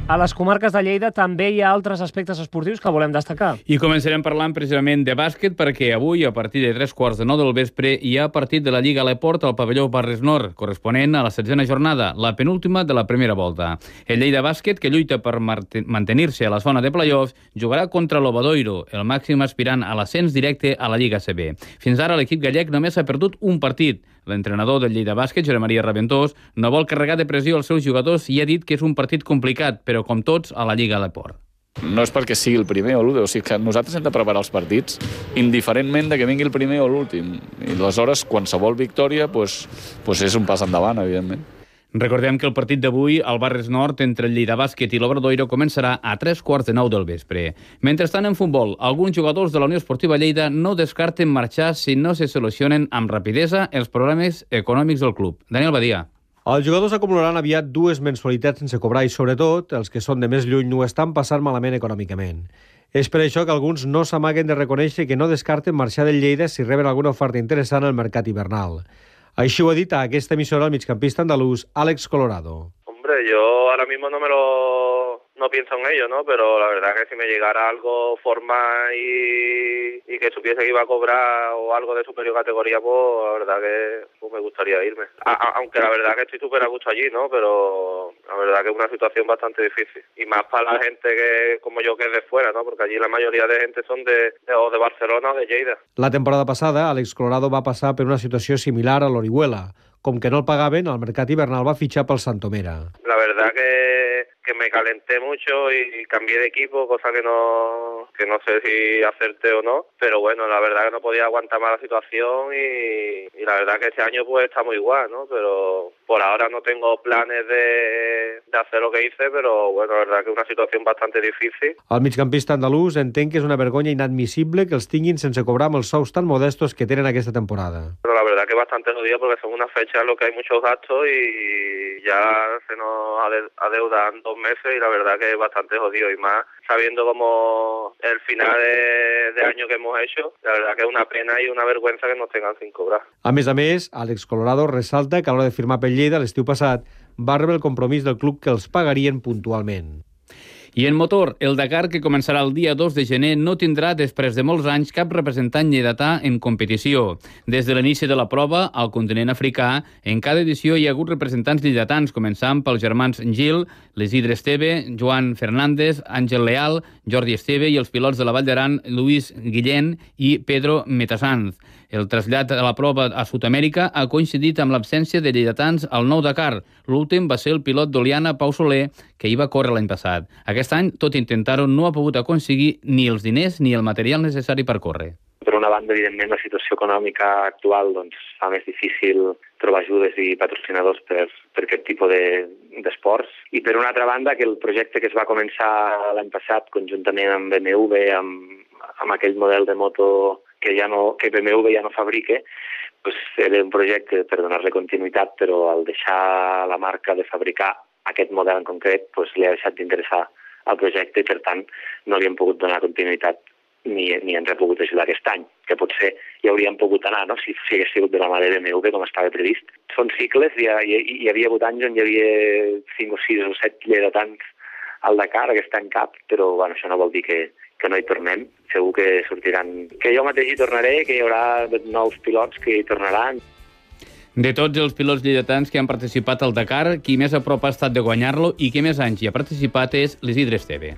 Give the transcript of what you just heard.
A les comarques de Lleida també hi ha altres aspectes esportius que volem destacar. I començarem parlant precisament de bàsquet perquè avui, a partir de 3:15 del vespre, hi ha partit de la Lliga Aleport al pavelló Barris Nord, corresponent a la 16a jornada, la penúltima de la primera volta. El Lleida Bàsquet, que lluita per mantenir-se a la zona de play-offs, jugarà contra l'Obadoiro, el màxim aspirant a l'ascens directe a la Lliga CB. Fins ara l'equip gallec només ha perdut un partit. L'entrenador del Lleida Bàsquet, Josep Maria Raventós, no vol carregar de pressió als seus jugadors i ha dit que és un partit complicat, però com tots, a la Lliga Aleport. No és perquè sigui el primer o l'últim, o sigui que nosaltres hem de preparar els partits indiferentment de que vingui el primer o l'últim. I aleshores, qualsevol victòria pues és un pas endavant, evidentment. Recordem que el partit d'avui al Barris Nord entre el Lleida Bàsquet i l'Obradoiro començarà a 3:15 del vespre. Mentrestant, en futbol, alguns jugadors de la Unió Esportiva Lleida no descarten marxar si no se solucionen amb rapidesa els problemes econòmics del club. Daniel Badia. Els jugadors acumularan aviat 2 mensualitats sense cobrar i, sobretot, els que són de més lluny no estan passant malament econòmicament. És per això que alguns no s'amaguen de reconèixer que no descarten marxar del Lleida si reben alguna oferta interessant al mercat hivernal. Així ho ha dit a aquesta emissora el migcampista andalús Àlex Colorado. Hombre, yo ahora mismo no pienso en ello, ¿no? Pero la verdad que si me llegara algo formal y que supiese que iba a cobrar o algo de superior categoría, pues la verdad que me gustaría irme. Aunque la verdad que estoy súper a gusto allí, ¿no? Pero la verdad que es una situación bastante difícil. Y más para la gente que como yo que es de fuera, ¿no? Porque allí la mayoría de gente son de Barcelona o de Lleida. La temporada passada, Àlex Colorado va passar per una situació similar a l'Orihuela. Com que no el pagaven, al mercat hivernal va fitxar pel Santomera. La verdad que me calenté mucho y cambié de equipo, cosa que no sé si acerté o no, pero bueno, la verdad que no podía aguantar más la situación y la verdad que este año pues estamos igual, ¿no? Pero por ahora no tengo planes de hacer lo que hice, pero bueno, la verdad que es una situación bastante difícil. El migcampista andalús entén que és una vergonya inadmissible que els tinguin sense cobrar amb els sous tan modestos que tenen aquesta temporada. Pero la verdad que es bastante jodido porque son unas fechas en las que hay muchos gastos y ya se nos adeudan 2 meses y la verdad que es bastante jodido y más sabiendo como el final de año que hemos hecho, la verdad que es una pena y una vergüenza que nos tengan sin cobrar. A més, Àlex Colorado ressalta que a l'hora de firmar pel Lleida l'estiu passat va rebre el compromís del club que els pagarien puntualment. I en motor, el Dakar, que començarà el dia 2 de gener, no tindrà, després de molts anys, cap representant lleidatà en competició. Des de l'inici de la prova, al continent africà, en cada edició hi ha hagut representants lleidatans, començant pels germans Gil, l'Isidre Esteve, Joan Fernández, Àngel Leal, Jordi Esteve i els pilots de la Vall d'Aran, Luis Guillén i Pedro Metasanz. El trasllat a la prova a Sud-amèrica ha coincidit amb l'absència de lleidatans al nou Dakar. L'últim va ser el pilot d'Oliana, Pau Soler, que hi va córrer l'any passat. Aquest any, tot intentar-ho, no ha pogut aconseguir ni els diners ni el material necessari per córrer. Per una banda, evidentment, la situació econòmica actual fa més difícil trobar ajudes i patrocinadors per aquest tipus d'esports. I per una altra banda, que el projecte que es va començar l'any passat conjuntament amb BMW, amb aquell model de moto que BMW ja no fabrica, era un projecte per donar-li continuïtat, però al deixar la marca de fabricar aquest model en concret, li ha deixat d'interessar el projecte i, per tant, no li hem pogut donar continuïtat ni ens ha pogut ajudar aquest any, que potser hi hauríem pogut anar, no?, si hagués sigut de la mà de BMW, com estava previst. Són cicles, hi havia hagut anys on hi havia 5 o 6 o 7 lleidatans al Dakar, aquest any cap, però això no vol dir que no hi tornem. Segur que sortiran, que jo mateix hi tornaré, que hi haurà nous pilots que hi tornaran. De tots els pilots lleidatans que han participat al Dakar, qui més a prop ha estat de guanyar-lo i qui més anys hi ha participat és l'Isidre Esteve.